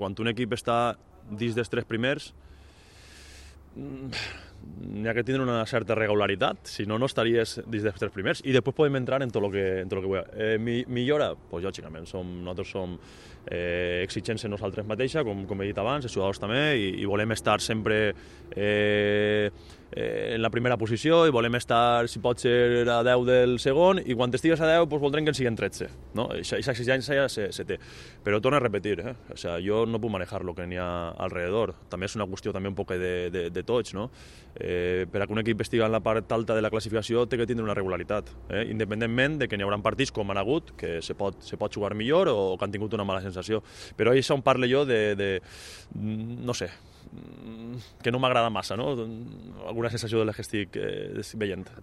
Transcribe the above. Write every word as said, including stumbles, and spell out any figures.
Quan un equip està dins dels tres primers, n'hi ha que tindre una certa regularitat, si no, no estaries dins dels tres primers. I després podem entrar en tot el que, en tot el que vulguem. Eh, mi, millora? Pues, lògicament, som, nosaltres som eh, exigents en nosaltres mateixa, com, com he dit abans, els jugadors també, i, i volem estar sempre eh, eh, en la primera posició, i volem estar, si pot ser, a deu del segon, i quan estigues a deu, pues, voldrem que en siguin tretze. No? Aquesta exigència ja se, se té. Però torno a repetir, eh? O sea, jo no puc manejar lo que n'hi ha alrededor. També és una qüestió també un poc de, de, de tots, no? Eh, per a que un equip estigui en la part alta de la classificació té que tindre una regularitat, eh? Independentment de que n'hi haurà partits com han hagut, que se pot, se pot jugar millor o que han tingut una mala sensació. Però això on parlo jo de, de no sé, que no m'agrada massa, no? Alguna sensació de les que estic eh, veient.